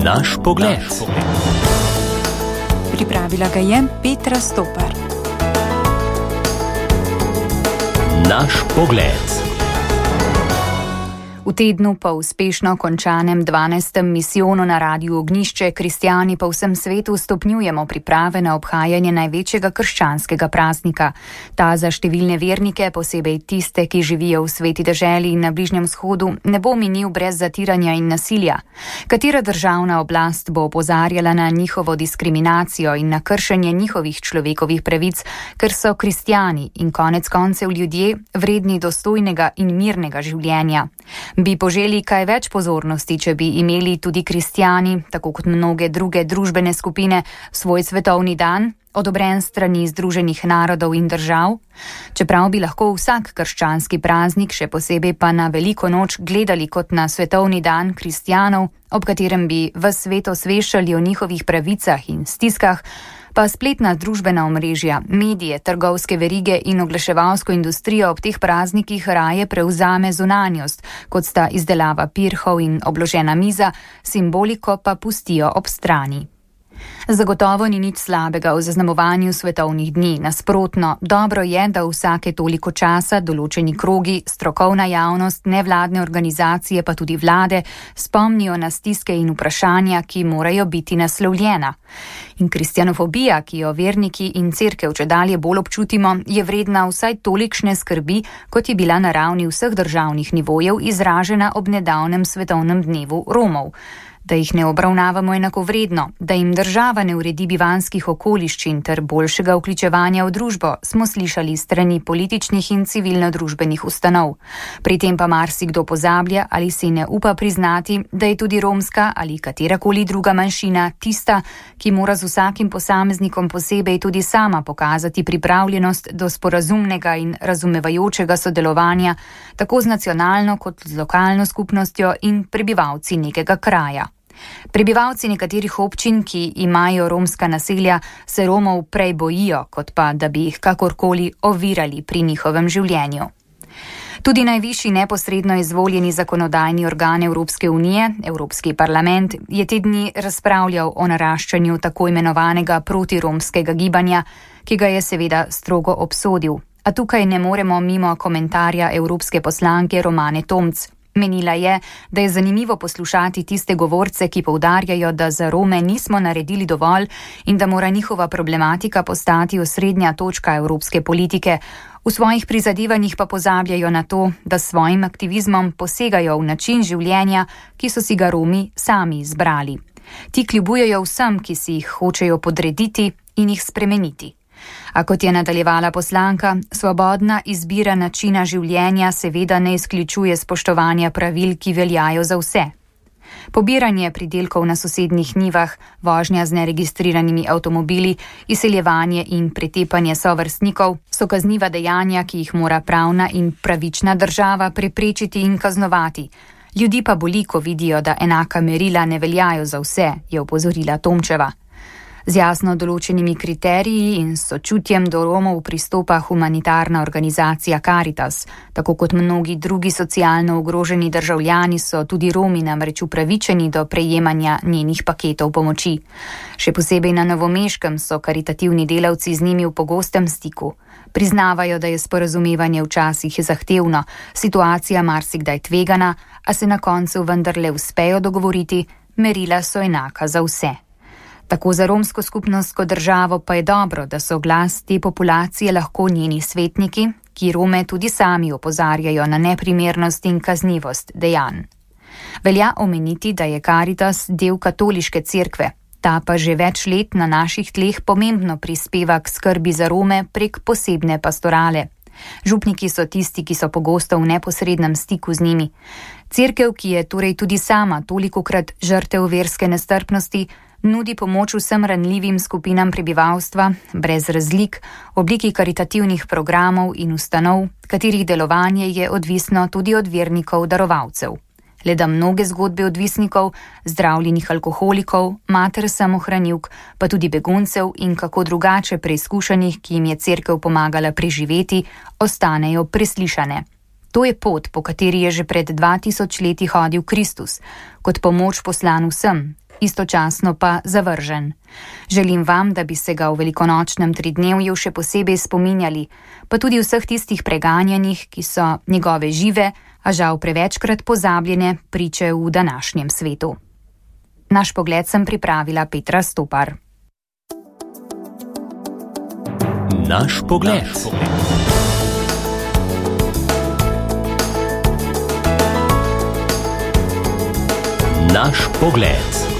Naš pogled. Pripravila ga je Petra Stopar. Naš pogled. V tednu po uspešno končanem 12. misijonu na Radiu Ognjišče kristjani po vsem svetu stopnjujemo priprave na obhajanje največjega krščanskega praznika. Ta za številne vernike, posebej tiste, ki živijo v sveti deželi in na Bližnjem vzhodu, ne bo minil brez zatiranja in nasilja. Katera državna oblast bo opozarjala na njihovo diskriminacijo in na kršenje njihovih človekovih pravic, ker so kristjani in konec koncev ljudje vredni dostojnega in mirnega življenja? Bi poželi kaj več pozornosti, če bi imeli tudi kristjani, tako kot mnoge druge družbene skupine, svoj svetovni dan, odobren strani Združenih narodov in držav? Čeprav bi lahko vsak krščanski praznik, še posebej pa na veliko noč, gledali kot na svetovni dan kristjanov, ob katerem bi ves svet osveščali o njihovih pravicah in stiskah, pa spletna družbena omrežja, medije, trgovske verige in oglaševalsko industrijo ob teh praznikih raje prevzame zunanjost, kot sta izdelava pirhov in obložena miza, simboliko pa pustijo ob strani. Zagotovo ni nič slabega v zaznamovanju svetovnih dni. Nasprotno, dobro je, da vsake toliko časa določeni krogi, strokovna javnost, nevladne organizacije pa tudi vlade spomnijo na stiske in vprašanja, ki morajo biti naslovljena. In kristjanofobija, ki jo verniki in cerkev čedalje bolj občutimo, je vredna vsaj tolikšne skrbi, kot je bila na ravni vseh državnih nivojev izražena ob nedavnem svetovnem dnevu Romov. Da jih ne obravnavamo enakovredno, da jim država ne uredi bivanskih okoliščin ter boljšega vključevanja v družbo, smo slišali strani političnih in civilno-družbenih ustanov. Pri tem pa marsikdo pozablja ali si ne upa priznati, da je tudi romska ali katerakoli druga manjšina tista, ki mora z vsakim posameznikom posebej tudi sama pokazati pripravljenost do sporazumnega in razumevajočega sodelovanja, tako z nacionalno kot z lokalno skupnostjo in prebivalci nekega kraja. Prebivalci nekaterih občin, ki imajo romska naselja, se Romov prej bojijo, kot pa, da bi jih kakorkoli ovirali pri njihovem življenju. Tudi najvišji neposredno izvoljeni zakonodajni organ Evropske unije, Evropski parlament, je te dni razpravljal o naraščanju tako imenovanega protiromskega gibanja, ki ga je seveda strogo obsodil. A tukaj ne moremo mimo komentarja evropske poslanke Romane Tomc. Menila je, da je zanimivo poslušati tiste govorce, ki poudarjajo, da za Rome nismo naredili dovolj in da mora njihova problematika postati osrednja točka evropske politike. V svojih prizadevanjih pa pozabljajo na to, da s svojim aktivizmom posegajo v način življenja, ki so si ga Romi sami izbrali. Ti kljubujejo vsem, ki si jih hočejo podrediti in jih spremeniti. A kot je nadaljevala poslanka, svobodna izbira načina življenja seveda ne izključuje spoštovanja pravil, ki veljajo za vse. Pobiranje pridelkov na sosednjih njivah, vožnja z neregistriranimi avtomobili, izseljevanje in pretepanje sovrstnikov so kazniva dejanja, ki jih mora pravna in pravična država preprečiti in kaznovati. Ljudi pa boli, ko vidijo, da enaka merila ne veljajo za vse, je opozorila Tomčeva. Z jasno določenimi kriteriji in sočutjem do Romov pristopa humanitarna organizacija Caritas. Tako kot mnogi drugi socialno ogroženi državljani so tudi Romi namreč upravičeni do prejemanja njenih paketov pomoči. Še posebej na Novomeškem so karitativni delavci z njimi v pogostem stiku. Priznavajo, da je sporazumevanje včasih zahtevno, situacija marsikdaj tvegana, a se na koncu vendarle uspejo dogovoriti, merila so enaka za vse. Tako za romsko skupnost kot državo pa je dobro, da so glas te populacije lahko njeni svetniki, ki Rome tudi sami opozarjajo na neprimernost in kaznivost dejanj. Velja omeniti, da je Caritas del katoliške cerkve, ta pa že več let na naših tleh pomembno prispeva k skrbi za Rome prek posebne pastorale. Župniki so tisti, ki so pogosto v neposrednem stiku z njimi. Cerkev, ki je torej tudi sama tolikokrat žrtev verske nestrpnosti, nudi pomoč vsem ranljivim skupinam prebivalstva, brez razlik, v obliki karitativnih programov in ustanov, katerih delovanje je odvisno tudi od vernikov darovalcev. Le da mnoge zgodbe odvisnikov, zdravljenih alkoholikov, mater samohranilk, pa tudi beguncev in kako drugače preizkušenih, ki jim je cerkev pomagala preživeti, ostanejo preslišane. To je pot, po kateri je že pred 2000 leti hodil Kristus, kot pomoč poslan vsem, istočasno pa zavržen. Želim vam, da bi se ga v velikonočnem tridnevju še posebej spominjali, pa tudi vseh tistih preganjanih, ki so njegove žive, a žal prevečkrat pozabljene priče v današnjem svetu. Naš pogled sem pripravila Petra Stopar. Naš pogled. Naš pogled.